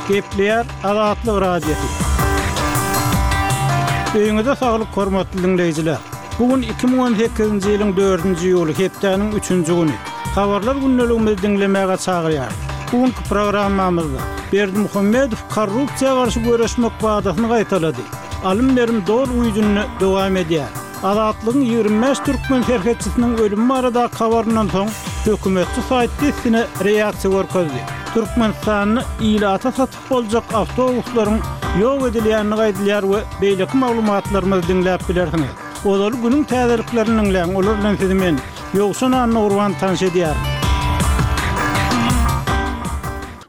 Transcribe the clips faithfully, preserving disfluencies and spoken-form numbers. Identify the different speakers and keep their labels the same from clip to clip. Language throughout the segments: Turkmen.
Speaker 1: Gepleýär Azatlyk Radiosy. Öýüňize saglyk hormatly diňleýjiler. Bu gün iki müň on sekizinji ýylyň dördünji iýuly, hepdäniň üçünji güni. Habarlar gündeligimizi diňlemäge çagyrýarys. Bu günki programmamyzda Berdimuhamedow korrupsiýa garşy göreşmek wadasyny gaýtalady. Alym-berim doly güýjünde dowam edýär. Azatlygyň ýigrimi bäş türkmen serhetçisiniň ölümi baradaky habaryndan soň hökümetçi saýt dessine reaksiýa görkezdi. Türkmenistanda ilata satyp boljak awtobuslaryň ýok edilýändigi aýdylýar we beýleki maglumatlarymyzy diňläp bilersiňiz. Ozaly günüň täzeliklerini diňläň, olar bilen sizi men, Ýowşan Annagurban tanyş edýärin.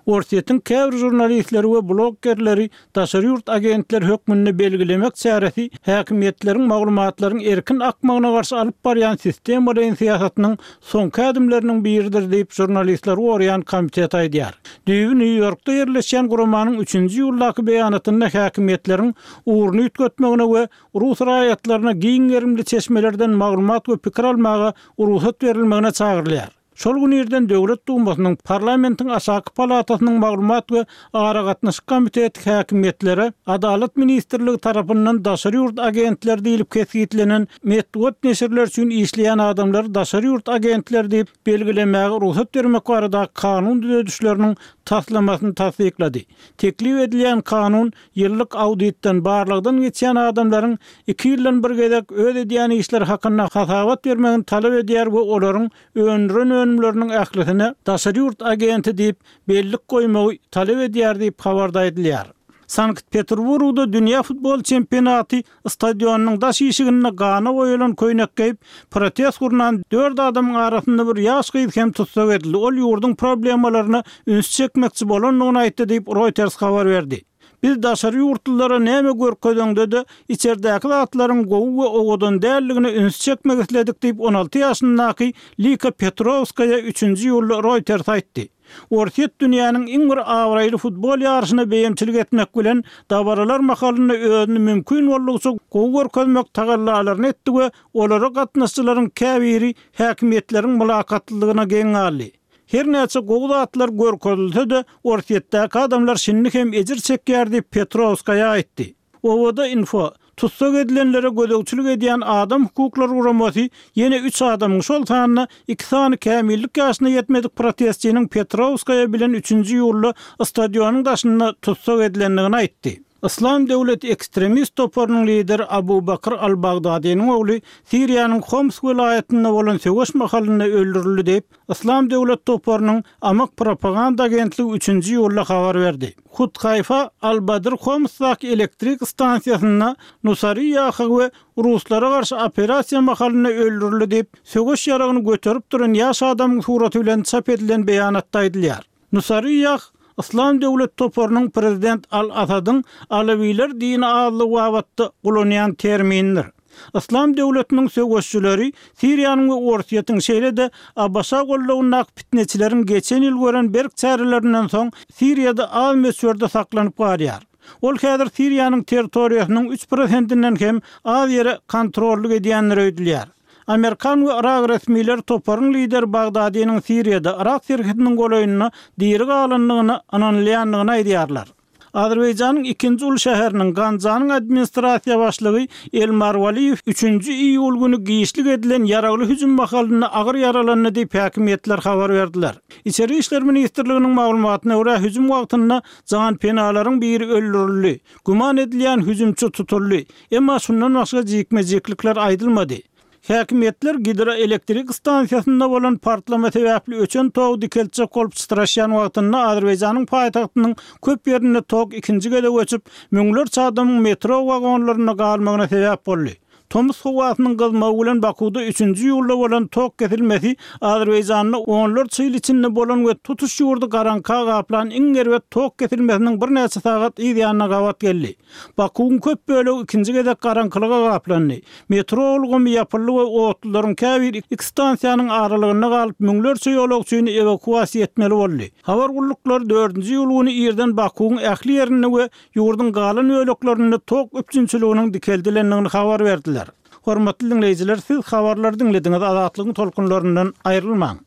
Speaker 1: Orsýetiň käbir žurnalistleri we bloggerleri daşary ýurt agentleri hökmünde belgilemek çäresi häkimiýetleriň maglumatlaryň erkin akmagyna garşy alyp barýan sistemalaýyn syýasatynyň soňky ädimleriniň biridir diýip, žurnalistleri goraýan komitet aýdýar. Düýbi Nýu-Ýorkda ýerleşýän guramanyň üçünji iýuldaky beýanatynda häkimiýetleriň ugruny üýtgetmegine we rus raýatlaryna giň gerimli çeşmelerden maglumat we pikir almaga rugsat berilmegine çagyrylýar. Şol gün irden Döwlet Dumasynyň, parlamentiň aşaky palatasynyň maglumat we aragatnaşyk komiteti häkimiýetlere Adalat ministrligi tarapyndan daşary ýurt agentleri diýlip kesgitlenen metbugat neşirleri üçin işleýän adamlary daşary ýurt agentleri diýip belgilemäge rugsat bermek baradaky kanun düzedişleriniň taslamasyny tassyklady. Teklip edilýän kanun ýyllyk auditden, barlagdan geçýän adamlaryň iki ýyldan bir gezek öz edýän işleri hakynda hasabat bermegini talap edýär we olaryň öndüren önümleriniň ählisine daşary ýurt agenti diýip bellik goýmagy talap edýär diýip habarda aýdylýar. Sankt-Peterburgda dünýä futbol çempionaty stadionynyň daş işiginde gana boýalan köýnek geýip, protest gurnan dört adamyň arasynda bir ýaş gyz hem tussag edildi. Ol ýurduň problemalaryna üns çekmekçi bolandygyny aýtdy diýip, Reuters habar berdi. Biz daşary ýurtlulara näme görkezeňde-de, içerdäki zatlaryň gowy we owadan däldigine üns çekmek isledik diýip, on alty ýaşyndaky Lika Petrowskaýa üçünji iýulda Reuters aýtdy. Orsýet dünýäniň iň bir abraýly futbol ýaryşyna beýemçilik etmek bilen, dabaralar mahalynda özüni mümkin boldugyça gowy görkezmek tagallalaryny etdi we olara gatnaşyjylaryň käbiri häkimiýetleriň mylakatlylygyna geň galdy. Her näçe gowy zatlar görkezilse-de, Orsýetdäki adamlar şindi hem ejir çekýär diýip, Petrowskaýa aýtdy. Owada info, tussag edilenlere gözegçilik edýän adam hukuklary guramasy ýene üç adamyň, şol sanda iki sany kämillik ýaşyna ýetmedik protestçiniň Petrowskaýa bilen üçünji iýulda stadionyň daşynda tussag edilendigini aýtdy. Yslam döwleti ekstremist toparynyň lideri Abu Bakr al-Bagdadynyň ogly Siriýanyň Homs welaýatynda bolan söweş mahalynda öldürildi diýip, Yslam döwlet toparynyň Amak propaganda agentligi üçünji iýulda habar berdi. Huthaýfa al-Badr Homsdaky elektrik stansiýasynda Nusariýaha we ruslara garşy operasiýa mahalynda öldürildi diýip, söweş ýaragyny göterip duran ýaş adamyň suraty bilen çap edilen beýanatda aýdylýar. Nusariýah Yslam döwlet toparynyň prezident al-Asadyň alawiler dini azlygy babatda ulanýan terminidir. Yslam döwletiniň söweşçileri Siriýanyň we Orsýetiň, şeýle-de A B Ş goldawyndaky pitneçileriň geçen ýyl gören berk çärelerinden soň Siriýada az möçberde saklanyp galýar. Ol häzir Siriýanyň territoriýasynyň üç prosentinden hem az ýere kontrollyk edýändir öýdülýär. Amerikan we Yrak resmileri toparyň lideri Bagdadynyň Siriýada Yrak serhediniň golaýynda diri galandygyna ynanylýandygyny aýdýarlar. Azerbaýjanyň ikinji uly şäheriniň Ganjanyň administrasiýa başlygy Elmar Waliýew üçünji iýul güni giçlik edilen ýaragly hüjüm mahalynda agyr ýaralandy diýip häkimiýetler habar berdiler. Içeri işler ministrliginiň maglumatyna görä hüjüm wagtynda janpenalaryň biri öldürildi. Güman edilýän hüjümçi tutuldy. Emma şundan başga jikme-jiklikler aýdylmady. Häkimiýetler gidroelektrik stansiýasynda bolan partlama sebäpli öçen togy dikeltjek bolup çytraşýan wagtynda Azerbaýjanyň paýtagtynyň köp ýerinde tok ikinji gezek öçüp, müňlerçe adamyň metro wagonlarynda galmagyna sebäp boldy. Tomus howasynyň gyzmagy bilen Bakuda üçünji iýulda bolan tok kesilmesi Azerbaýjanda onlarça ýyl içinde bolan we tutuş ýurdy garaňka gaplan iň erbet tok kesilmesiniň birnäçe sagat yz ýanyna gabat geldi. Bakuwyň köp bölegi ikinji gezek garaňkylyga gaplandy. Metro ulgamy ýapyldy we otlularyň käbiri iki stansiýanyň aralygynda galyp, müňlerçe ýolagçyny ewakuasiýa etmeli boldy. Habar gulluklary dördünji iýul güni irden Bakuwyň ähli ýerinde we ýurduň galan böleklerinde tok üpjünçiliginiň dikeldilendigini habar berdiler. Hormatly diňleýjiler, siz habarlary diňlediňiz, Azatlygyň tolkunlaryndan aýrylmaň.